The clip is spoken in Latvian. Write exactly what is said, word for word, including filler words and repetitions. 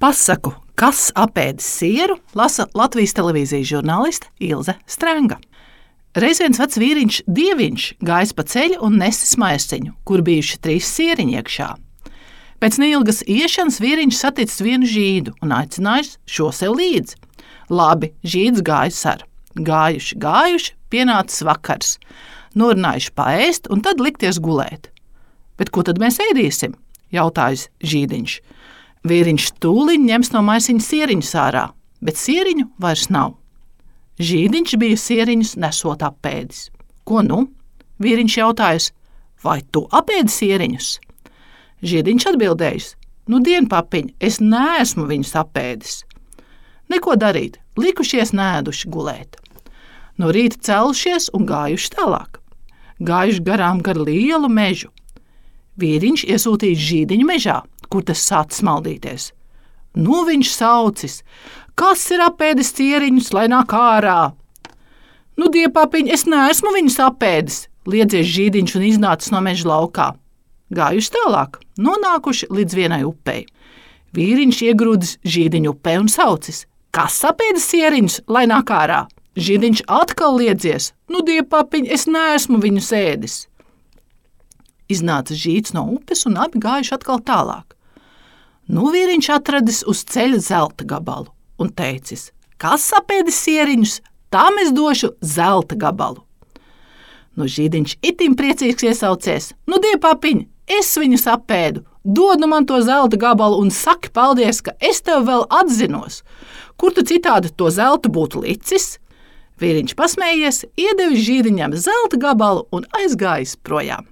Pasaku, kas apēdis sieru, lasa Latvijas televīzijas žurnāliste Ilze Strenga. Reiz viens vecs vīriņš dieviņš gājis pa ceļu un nesis maisiņu, kur bijuši trīs sieriņi iekšā. Pēc neilgas iešanas vīriņš saticis vienu žīdu un aicinājis šo sev līdzi. Labi, žīds gājis ar. Gājuši, gājuši, pienācis vakars. Norunājuši paēst un tad likties gulēt. Bet ko tad mēs ēdīsim? Jautājis žīdiņš. Vīriņš tūliņ ņems no maisiņa sieriņus ārā, bet sieriņu vairs nav. Žīdiņš bija sieriņus nesot apēdis. Ko nu? Vīriņš jautājis, vai tu apēdi sieriņus? Žīdiņš atbildējis, nu dien papiņ, es neesmu viņus apēdis. Neko darīt, likušies nēduši gulēt. No rīta celušies un gājuši tālāk. Gājuši garām gar lielu mežu. Vīriņš iesūtījis žīdiņu mežā, kur tas sācis smaldīties. Nu viņš saucis, kas ir apēdis sieriņus, lai nāk ārā? Nu, diepapiņ, es neesmu viņus apēdis, liedzies žīdiņš un iznācis no meža laukā. Gājuši tālāk, nonākuši līdz vienai upei. Vīriņš iegrūdis žīdiņu upē un saucis, kas apēdis sieriņus, lai nāk ārā? Žīdiņš atkal liedzies, nu, diepapiņ, es neesmu viņus ēdis. Iznāca žīds no upes un abi gājuši atkal tālāk. Nu vīriņš atradis uz ceļa zelta gabalu un teicis, kas apēdis sieriņus, tam es došu zelta gabalu. Nu žīdiņš itim priecīgs iesaucies, nu diepapiņ, es viņus apēdu, dod nu man to zelta gabalu un saki paldies, ka es tev vēl atzinos. Kur tu citādi to zeltu būtu licis? Vīriņš pasmējies, iedevis žīdiņam zelta gabalu un aizgājis projām.